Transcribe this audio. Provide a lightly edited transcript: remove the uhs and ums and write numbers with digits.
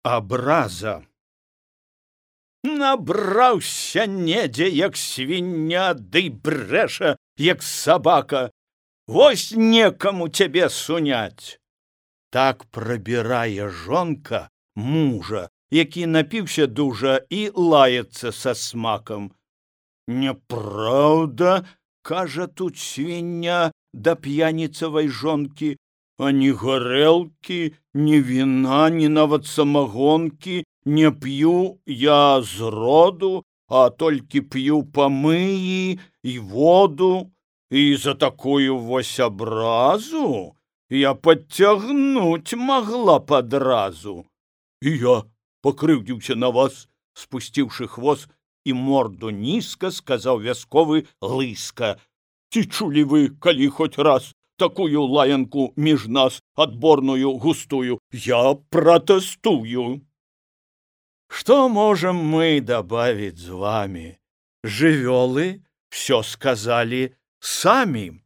Абраза. Набраўся недзе, як свіння, ды брэша, як сабака. Вось некаму цябе суняць. Так прабірае жонка мужа, які напіўся дужа і лаецца са смакам. Няпраўда, кажа тут свіння да п'яніцавай жонкі, а ні гарэлкі, ні віна, ні нават самагонкі не п'ю я зроду, а толькі п'ю памыі і воду, і за такую вось абразу я падцягнуць магла падразу. І я пакрыўдзіўся на вас, спусціўшы хвост і морду нізка, сказаў вясковы лыска. Ці чулі вы, калі хоць раз такую лаянку між нас адборную густую? Я пратэстую. Что можем мы добавить з вами? Жывёлы всё сказали сами.